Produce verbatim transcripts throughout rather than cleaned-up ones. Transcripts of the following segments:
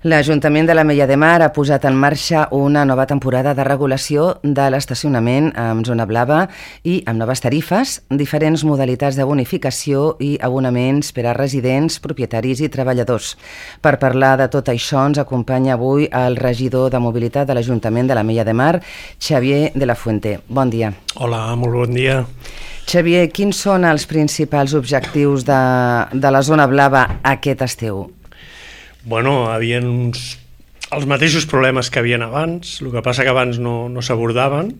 L'Ajuntament de l'Ametlla de Mar ha posat en marxa una nova temporada de regulació de l'estacionament amb zona blava i amb noves tarifes, diferents modalitats de bonificació i abonaments per a residents, propietaris i treballadors. Per parlar de tot això ens acompanya avui el regidor de Mobilitat de l'Ajuntament de l'Ametlla de Mar, Xavier de la Fuente. Bon dia. Hola, molt bon dia. Xavier, quins són els principals objectius de, de la zona blava aquest estiu? Bueno, havien uns, els mateixos problemes que havien abans, el que passa que abans no, no s'abordaven,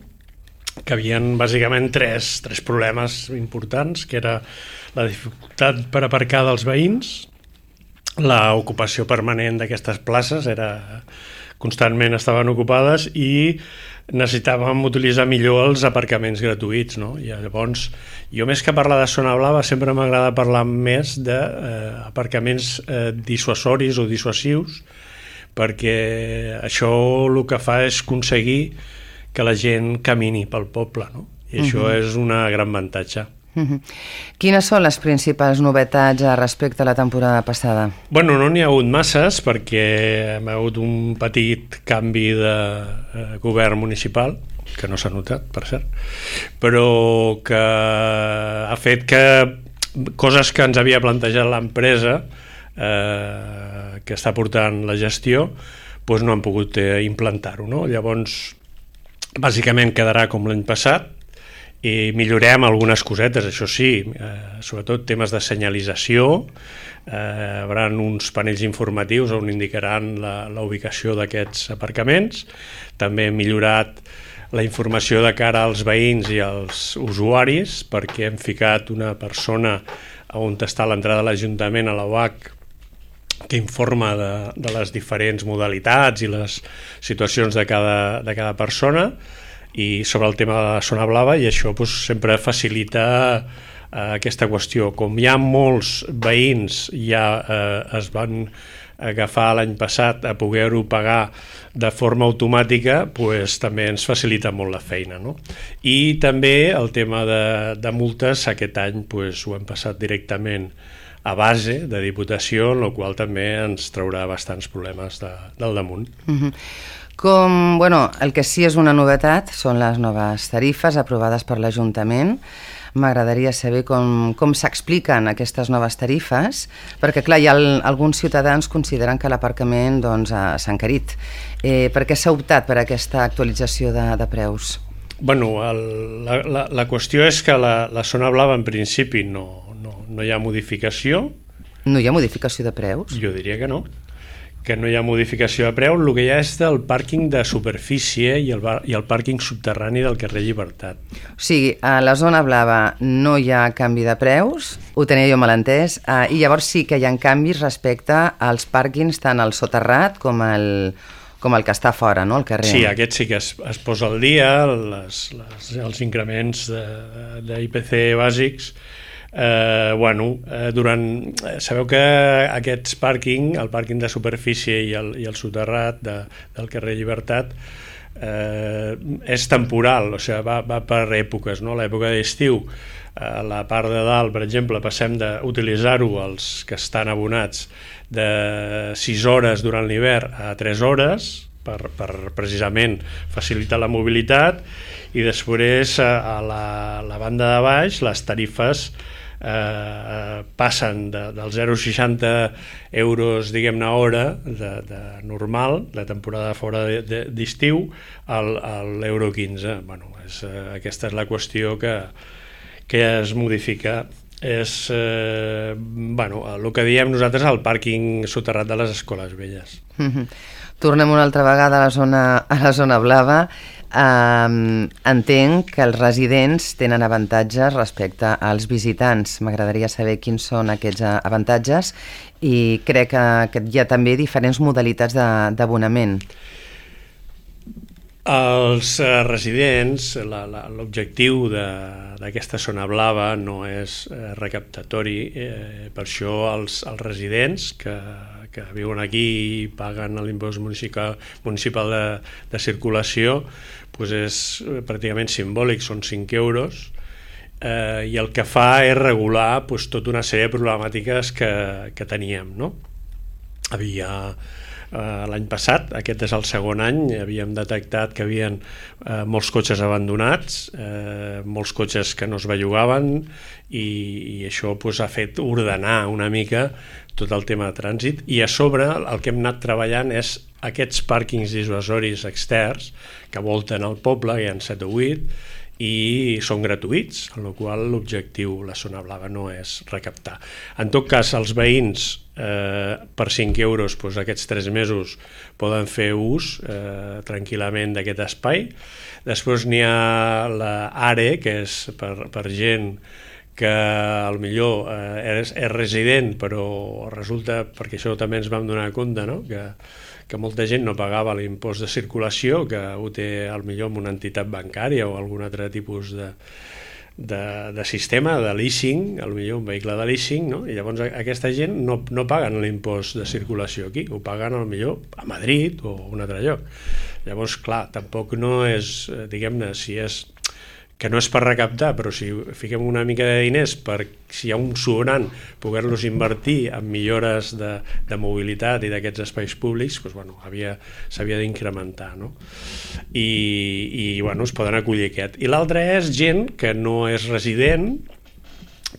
que havien bàsicament tres, tres problemes importants, que era la dificultat per aparcar dels veïns, l'ocupació permanent d'aquestes places, era, constantment estaven ocupades, i necessitàvem utilitzar millor els aparcaments gratuïts, no? I llavors, jo més que parlar de zona blava sempre m'agrada parlar més d'aparcaments eh, eh, dissuasoris o dissuasius, perquè això el que fa és aconseguir que la gent camini pel poble, no? I això uh-huh. és una gran avantatge. Uh-huh. Quines són les principals novetats respecte a la temporada passada? Bueno, no n'hi ha hagut masses perquè hi ha hagut un petit canvi de eh, govern municipal, que no s'ha notat, per cert, però que ha fet que coses que ens havia plantejat l'empresa eh, que està portant la gestió doncs no han pogut eh, implantar-ho, no? Llavors, bàsicament quedarà com l'any passat, i millorem algunes cosetes, això sí, eh, sobretot temes de senyalització, eh, hi haurà uns panells informatius on indicaran la, la ubicació d'aquests aparcaments, també hem millorat la informació de cara als veïns i als usuaris, perquè hem ficat una persona on està l'entrada de l'Ajuntament, a la U H, que informa de, de les diferents modalitats i les situacions de cada, de cada persona, i sobre el tema de la zona blava, i això doncs, sempre facilita eh, aquesta qüestió. Com hi ha molts veïns ja eh, es van agafar l'any passat a poder-ho pagar de forma automàtica, doncs, també ens facilita molt la feina, no? I també el tema de, de multes, aquest any doncs, ho hem passat directament a base de Diputació, en la qual també ens traurà bastants problemes de, del damunt. Uh-huh. Com, bueno, el que sí és una novetat són les noves tarifes aprovades per l'Ajuntament. M'agradaria saber com, com s'expliquen aquestes noves tarifes, perquè clar, hi ha el, alguns ciutadans consideren que l'aparcament doncs, s'ha encarit. Eh, per què s'ha optat per aquesta actualització de, de preus? Bueno, el, la, la, la qüestió és que la, la zona blava en principi no, no, no hi ha modificació. No hi ha modificació de preus? Jo diria que no. que no hi ha modificació de preu, el que hi ha és el pàrquing de superfície i el, bar, i el pàrquing subterrani del carrer Llibertat. O sigui, a la zona blava no hi ha canvi de preus, ho tenia jo mal entès, eh, i llavors sí que hi ha canvis respecte als pàrquings tant al soterrat com el, com el que està fora, no?, al carrer. Sí, aquest sí que es, es posa al dia, les, les, els increments d'I P C bàsics. Eh, bueno, eh, durant, sabeu que aquests pàrquing, el pàrquing de superfície i el, i el soterrat de, del carrer Llibertat eh, és temporal, o sigui, va, va per èpoques, no? L'època d'estiu, a eh, la part de dalt, per exemple, passem d'utilitzar-ho els que estan abonats de sis hores durant l'hivern a tres hores per, per precisament facilitar la mobilitat, i després a la, la banda de baix les tarifes Eh, passen de, del zero coma seixanta euros, diguem-ne, hora de, de normal, de temporada fora d'estiu, al, a l'euro quinze. Bueno, és, eh, aquesta és la qüestió que, que es modifica. És eh, bueno, el que diem nosaltres el pàrquing soterrat de les escoles velles. Mm-hmm. Tornem una altra vegada a la zona, a la zona blava. Um, entenc que els residents tenen avantatges respecte als visitants. M'agradaria saber quins són aquests avantatges, i crec que, que hi ha també diferents modalitats d'abonament. Els eh, residents, l'objectiu d'aquesta zona blava no és eh, recaptatori, eh, per això els, els residents que, que viuen aquí i paguen l'impost municipal, municipal de, de circulació, doncs és pràcticament simbòlic, són cinc euros, eh, i el que fa és regular doncs, tota una sèrie de problemàtiques que, que teníem, no? Havia eh, l'any passat, aquest és el segon any, havíem detectat que hi havia eh, molts cotxes abandonats, eh, molts cotxes que no es bellugaven, i, i això pues, ha fet ordenar una mica tot el tema de trànsit, i a sobre el que hem anat treballant és aquests pàrquings dissuasoris externs que volten al poble, hi ha set o vuit, i són gratuïts, amb la qual l'objectiu, la zona blava, no és recaptar. En tot cas, els veïns eh, per cinc euros doncs, aquests tres mesos poden fer ús eh, tranquil·lament d'aquest espai. Després n'hi ha l'ARE, que és per, per gent que potser eh, és, és resident, però resulta, perquè això també ens vam donar compte, no? que que molta gent no pagava l'impost de circulació, que ho té potser en una entitat bancària o algun altre tipus de, de, de sistema, de leasing, potser un vehicle de leasing, no? I llavors aquesta gent no, no paguen l'impost de circulació aquí, ho paguen potser a Madrid o a un altre lloc. Llavors, clar, tampoc no és, diguem-ne, si és que no és per recaptar, però si fiquem una mica de diners per, si hi ha un sobrant, poder-los invertir en millores de, de mobilitat i d'aquests espais públics, doncs, bueno, havia, s'havia d'incrementar, no? I, i bueno, es poden acollir aquest. I l'altre és gent que no és resident,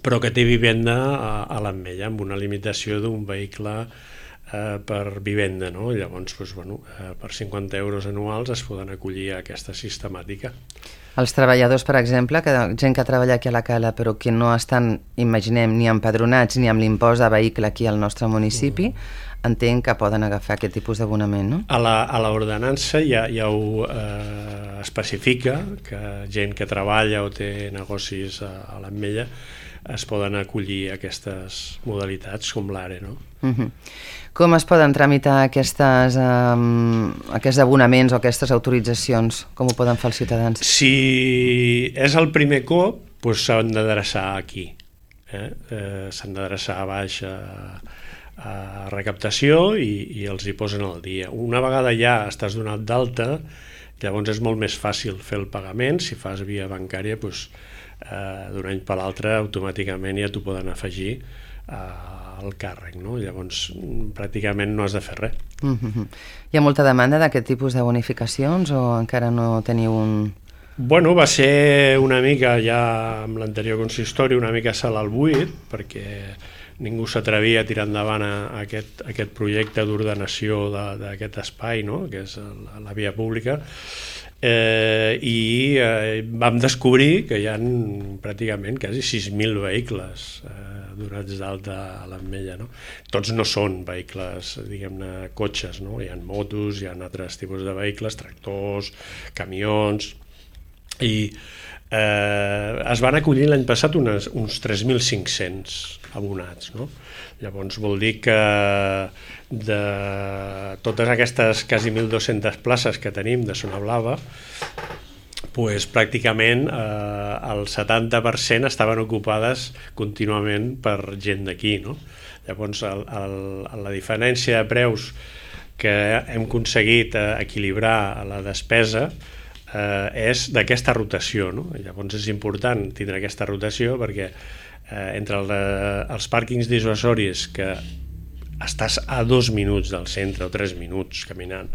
però que té vivenda a, a l'Ametlla, amb una limitació d'un vehicle eh, per vivenda, no? Llavors, doncs, bueno, eh, per cinquanta euros anuals es poden acollir a aquesta sistemàtica. Els treballadors, per exemple, que, gent que treballa aquí a la Cala però que no estan, imaginem, ni empadronats ni amb l'impost de vehicle aquí al nostre municipi, mm. entenc que poden agafar aquest tipus d'abonament, no? A la, a l'ordenança ja, ja ho eh, especifica, que gent que treballa o té negocis a, a l'Ametlla es poden acollir aquestes modalitats com l'ARE, no? Mm-hmm. Com es poden tramitar aquestes, um, aquests abonaments o aquestes autoritzacions? Com ho poden fer els ciutadans? Si és el primer cop, doncs s'han d'adreçar aquí. Eh? Eh, s'han d'adreçar a baix a, a recaptació i, i els hi posen al dia. Una vegada ja estàs donat d'alta, llavors és molt més fàcil fer el pagament. Si fas via bancària, doncs, eh, d'un any per l'altre automàticament ja t'ho poden afegir a el càrrec, no? Llavors pràcticament no has de fer res. Mm-hmm. Hi ha molta demanda d'aquest tipus de bonificacions o encara no teniu un... Bueno, va ser una mica ja amb l'anterior consistori, una mica salt al buit, perquè ningú s'atrevia a tirar endavant a aquest, a aquest projecte d'ordenació d'aquest espai, no? Que és la, la via pública. Eh, i eh, vam descobrir que hi ha pràcticament quasi sis mil vehicles eh, donats d'alta a l'Ametlla, no? Tots no són vehicles, diguem-ne, cotxes, no? Hi ha motos, hi ha altres tipus de vehicles, tractors, camions, i eh, es van acollir l'any passat unes, uns tres mil cinc-cents abonats, no? Llavors vol dir que de totes aquestes quasi mil dues-centes places que tenim de zona blava, pues, pràcticament eh, el setanta per cent estaven ocupades contínuament per gent d'aquí, no? Llavors el, el, la diferència de preus que hem aconseguit eh, equilibrar la despesa eh, és d'aquesta rotació, no? Llavors és important tindre aquesta rotació perquè eh, entre el, els pàrquings dissuasoris que estàs a dos minuts del centre o tres minuts caminant,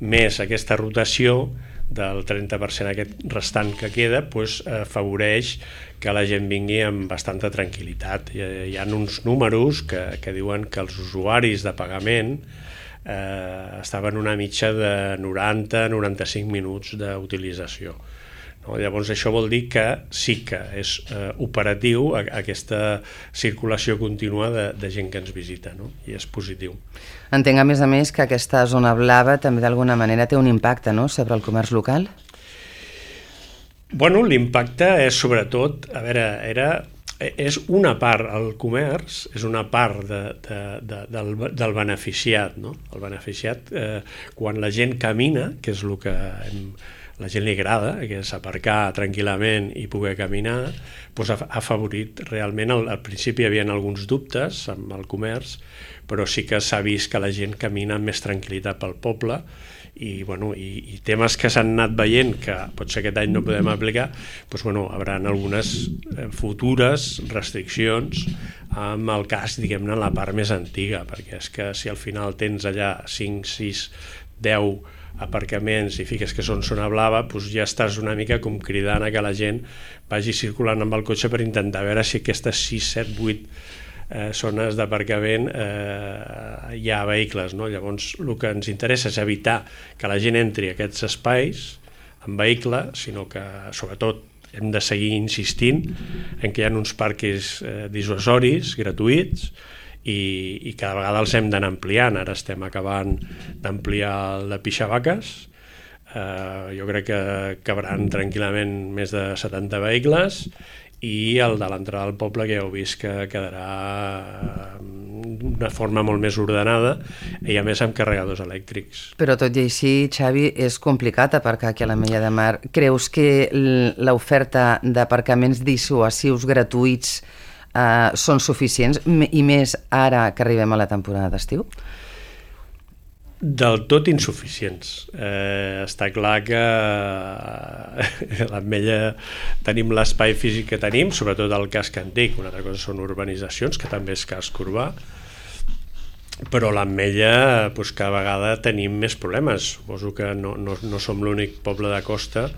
més aquesta rotació del trenta per cent aquest restant que queda, doncs, eh, afavoreix que la gent vingui amb bastanta tranquil·litat. Hi, hi ha uns números que, que diuen que els usuaris de pagament eh, estaven una mitja de noranta a noranta-cinc minuts d'utilització. No? Llavors això vol dir que sí que és eh, operatiu a, a aquesta circulació contínua de, de gent que ens visita, no? I és positiu. Entenc a més a més que aquesta zona blava també d'alguna manera té un impacte, no?, sobre el comerç local? Bueno, l'impacte és sobretot, a veure, era, és una part, el comerç és una part de, de, de, del, del beneficiat, no? El beneficiat, eh, quan la gent camina, que és el que hem la gent li agrada, que és aparcar tranquil·lament i poder caminar, doncs ha afavorit realment. Al, al principi hi havia alguns dubtes amb el comerç, però sí que s'ha vist que la gent camina amb més tranquil·litat pel poble, i, bueno, i, i temes que s'han anat veient que potser aquest any no podem aplicar, doncs, bueno, hi haurà algunes futures restriccions amb el cas, diguem-ne, en la part més antiga, perquè és que si al final tens allà cinc, sis, deu aparcaments i fiques que són zona blava, doncs ja estàs una mica com cridant a que la gent vagi circulant amb el cotxe per intentar veure si aquestes sis, set, vuit eh, zones d'aparcament eh, hi ha vehicles, no? Llavors el que ens interessa és evitar que la gent entri a aquests espais en vehicle, sinó que sobretot hem de seguir insistint en que hi ha uns parcs eh, dissuasoris gratuïts, I, i cada vegada els hem d'anar ampliant. Ara estem acabant d'ampliar el de Pixavaques, eh, jo crec que cabran tranquil·lament més de setanta vehicles, i el de l'entrada al poble, que ja heu vist que quedarà d'una forma molt més ordenada i a més amb carregadors elèctrics. Però tot i així, Xavi, és complicat aparcar aquí a l'Ametlla de Mar. Creus que l'oferta d'aparcaments dissuasius gratuïts Uh, són suficients, i més ara que arribem a la temporada d'estiu? Del tot insuficients. Eh, està clar que a l'Ametlla tenim l'espai físic que tenim, sobretot el casc antic. Una altra cosa són urbanitzacions, que també és casc urbà, però a l'Ametlla doncs, cada vegada tenim més problemes. Suposo que no, no, no som l'únic poble de costa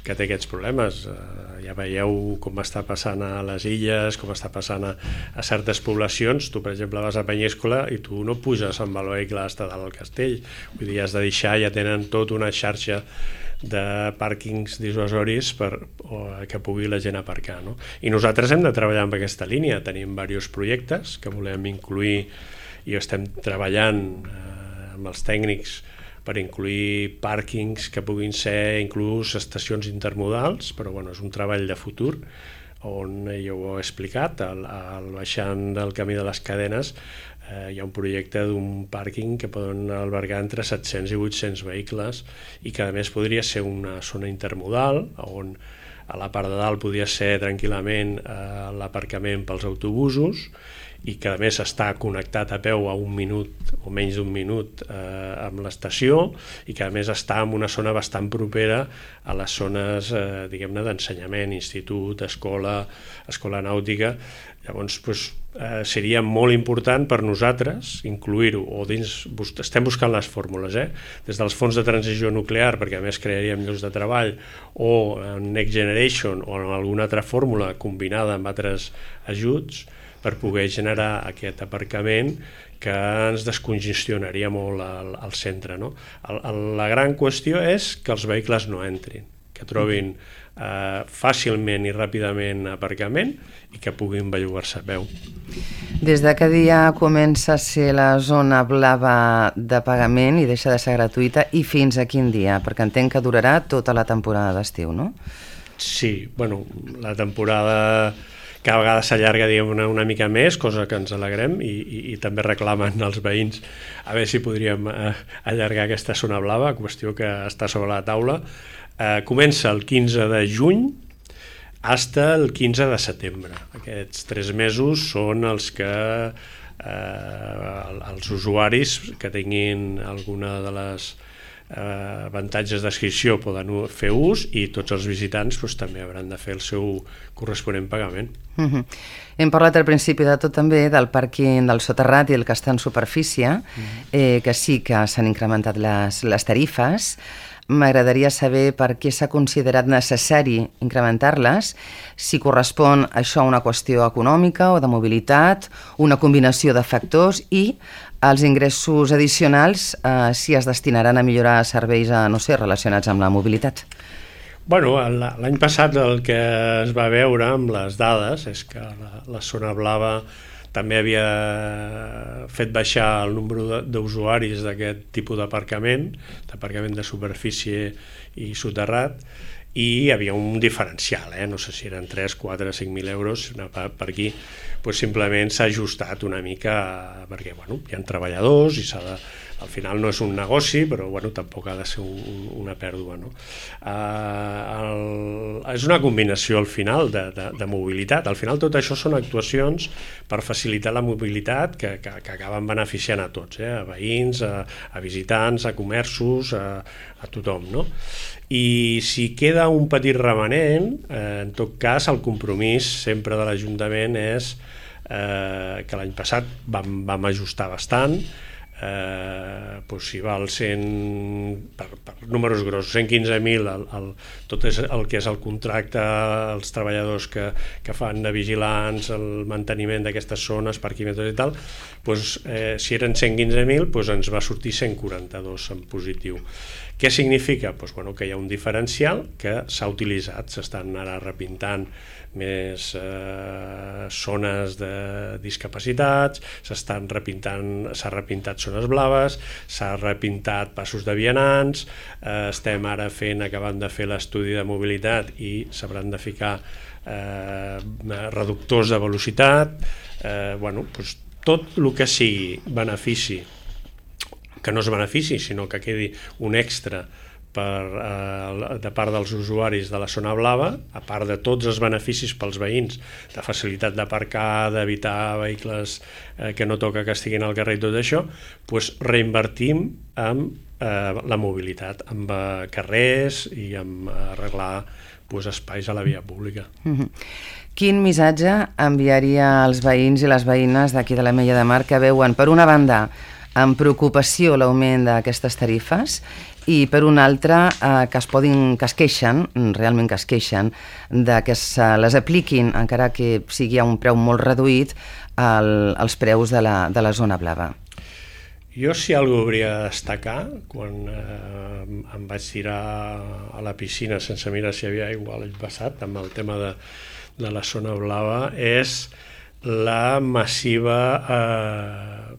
que té aquests problemes. Eh, ja veieu com està passant a les illes, com està passant a, a certes poblacions. Tu, per exemple, vas a Penyíscola i tu no puges amb el vehicle fins a dalt del castell. Vull dir, has de deixar, ja tenen tota una xarxa de pàrquings dissuasoris per o, que pugui la gent aparcar, no? I nosaltres hem de treballar amb aquesta línia. Tenim diversos projectes que volem incluir i estem treballant eh, amb els tècnics per incluir pàrquings que puguin ser inclús estacions intermodals, però bueno, és un treball de futur on ja ho he explicat, al, al baixant del camí de les Cadenes eh, hi ha un projecte d'un pàrquing que poden albergar entre set-cents i vuit-cents vehicles i que a més podria ser una zona intermodal on a la part de dalt podria ser tranquil·lament eh, l'aparcament pels autobusos i que a més està connectat a peu a un minut o menys d'un minut eh, amb l'estació i que a més està en una zona bastant propera a les zones eh, diguem-ne d'ensenyament, institut, escola, escola nàutica. Llavors doncs, eh, seria molt important per nosaltres incluir-ho, o dins, estem buscant les fórmules, eh? Des dels fons de transició nuclear, perquè a més crearíem llocs de treball, o en Next Generation o en alguna altra fórmula combinada amb altres ajuts, per poder generar aquest aparcament que ens descongestionaria molt al, al centre, no? El, el, la gran qüestió és que els vehicles no entrin, que trobin eh, fàcilment i ràpidament aparcament i que puguin bellugar-se a peu. Des de que dia comença a ser la zona blava de pagament i deixa de ser gratuïta, i fins a quin dia? Perquè entenc que durarà tota la temporada d'estiu, no? Sí, bueno, la temporada cada vegada s'allarga una, una mica més, cosa que ens alegrem, i, i, i també reclamen els veïns a veure si podríem eh, allargar aquesta zona blava, qüestió que està sobre la taula. Eh, comença el quinze de juny fins al quinze de setembre. Aquests tres mesos són els que eh, els usuaris que tinguin alguna de les eh, avantatges d'inscripció poden fer ús, i tots els visitants doncs, també hauran de fer el seu corresponent pagament. Uh-huh. Hem parlat al principi de tot també del pàrquing del soterrat i el que està en superfície, uh-huh. eh, que sí que s'han incrementat les, les tarifes. M'agradaria saber per què s'ha considerat necessari incrementar-les, si correspon això a una qüestió econòmica o de mobilitat, una combinació de factors, i els ingressos addicionals eh, si es destinaran a millorar serveis a, no sé, relacionats amb la mobilitat. Bueno, l'any passat el que es va veure amb les dades és que la, la zona blava també havia fet baixar el nombre d'usuaris d'aquest tipus d'aparcament, d'aparcament de superfície i soterrat, i hi havia un diferencial, eh? No sé si eren tres, quatre, cinc mil euros, per aquí doncs simplement s'ha ajustat una mica perquè bueno, hi ha treballadors i s'ha de al final no és un negoci, però bueno, tampoc ha de ser un, una pèrdua, no? Uh, el, és una combinació al final de, de, de mobilitat. Al final tot això són actuacions per facilitar la mobilitat que, que, que acaben beneficiant a tots, eh? A veïns, a, a visitants, a comerços, a, a tothom, no? I si queda un petit remanent, eh, en tot cas el compromís sempre de l'Ajuntament és eh, que l'any passat vam, vam ajustar bastant, eh, doncs si val cent, per, per números grossos, cent quinze mil el, el, tot és el que és el contracte, els treballadors que, que fan de vigilants, el manteniment d'aquestes zones, parquímetres i tal, doncs, eh, si eren cent quinze mil, doncs ens va sortir cent quaranta-dos en positiu. Què significa? Doncs, bueno, que hi ha un diferencial que s'ha utilitzat, s'estan ara repintant més eh, zones de discapacitats, s'estan repintant, s'ha repintat zones blaves, s'ha repintat passos de vianants, eh, estem ara fent, acabant de fer l'estudi de mobilitat i s'hauran de ficar eh, reductors de velocitat, eh, bueno, doncs tot el que sigui benefici, que no és benefici, sinó que quedi un extra per, eh, de part dels usuaris de la zona blava, a part de tots els beneficis pels veïns, de facilitat d'aparcar, d'evitar vehicles eh, que no toca que estiguin al carrer i tot això, doncs reinvertim en eh, la mobilitat, en eh, carrers i en arreglar doncs, espais a la via pública. Mm-hmm. Quin missatge enviaria als veïns i les veïnes d'aquí de l'Ametlla de Mar que veuen, per una banda, amb preocupació l'augment d'aquestes tarifes i per una altra eh, que es podin, que es queixen, realment que es queixen, de que se les apliquin, encara que sigui a un preu molt reduït, el, els preus de la, de la zona blava? Jo si alguna cosa hauria de destacar, quan eh, em vaig tirar a la piscina sense mirar si hi havia aigua l'any passat, amb el tema de, de la zona blava, és la massiva eh,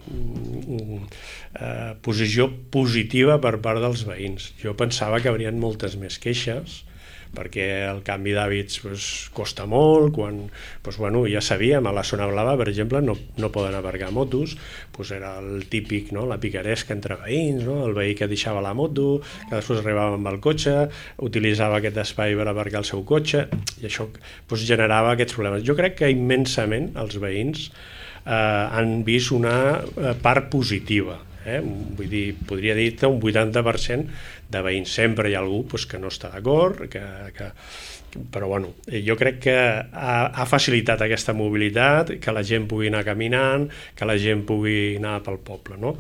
eh, posició positiva per part dels veïns. Jo pensava que hi haurien moltes més queixes, perquè el canvi d'hàbits pues, costa molt, quan pues, bueno, ja sabíem, a la zona blava, per exemple, no, no poden aparcar motos, pues, era el típic, no? La picaresca entre veïns, no? El veí que deixava la moto, que després arribava amb el cotxe, utilitzava aquest espai per aparcar el seu cotxe, i això pues, generava aquests problemes. Jo crec que immensament els veïns eh, han vist una part positiva. Eh? Vull dir, podria dir-te un vuitanta per cent de veïns. Sempre hi ha algú pues, que no està d'acord, que, que... però bueno, jo crec que ha, ha facilitat aquesta mobilitat, que la gent pugui anar caminant, que la gent pugui anar pel poble, no?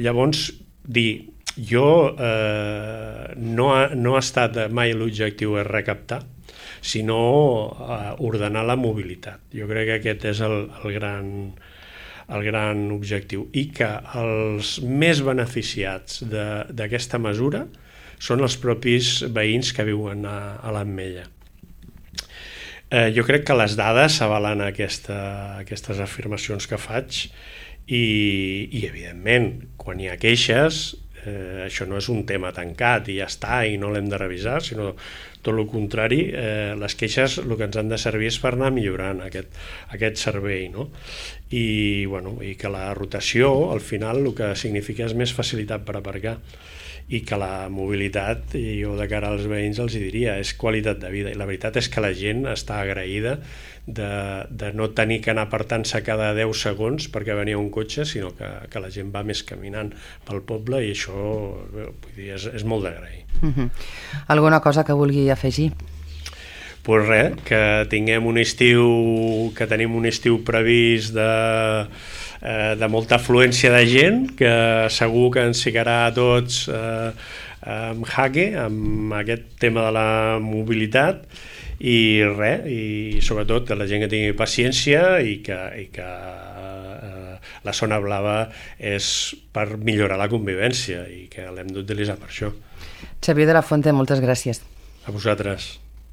Llavors, dir, jo eh, no, ha, no ha estat mai l'objectiu és recaptar, sinó eh, ordenar la mobilitat. Jo crec que aquest és el, el gran... el gran objectiu, i que els més beneficiats d'aquesta mesura són els propis veïns que viuen a, a l'Ametlla. Eh, jo crec que les dades avalen aquesta, aquestes afirmacions que faig i, i evidentment, quan hi ha queixes, eh, això no és un tema tancat i ja està i no l'hem de revisar, sinó tot el contrari, eh, les queixes el que ens han de servir és per anar millorant aquest, aquest servei, no? I, bueno, i que la rotació al final el que significa és més facilitat per aparcar, i que la mobilitat, i jo de cara als veïns els diria, és qualitat de vida, i la veritat és que la gent està agraïda de, de no tenir que anar apartant-se cada deu segons perquè venia un cotxe, sinó que, que la gent va més caminant pel poble, i això vull dir, és, és molt d'agrair. Uh-huh. Alguna cosa que vulgui afegir? Pues res, que tinguem un estiu, que tenim un estiu previst de, eh, de molta afluència de gent, que segur que ens ficarà a tots eh, amb jaque, amb aquest tema de la mobilitat, i res, i sobretot que la gent que tingui paciència i que, i que eh, la zona blava és per millorar la convivència i que l'hem d'utilitzar per això. Xavier de la Fuente, moltes gràcies. A vosaltres.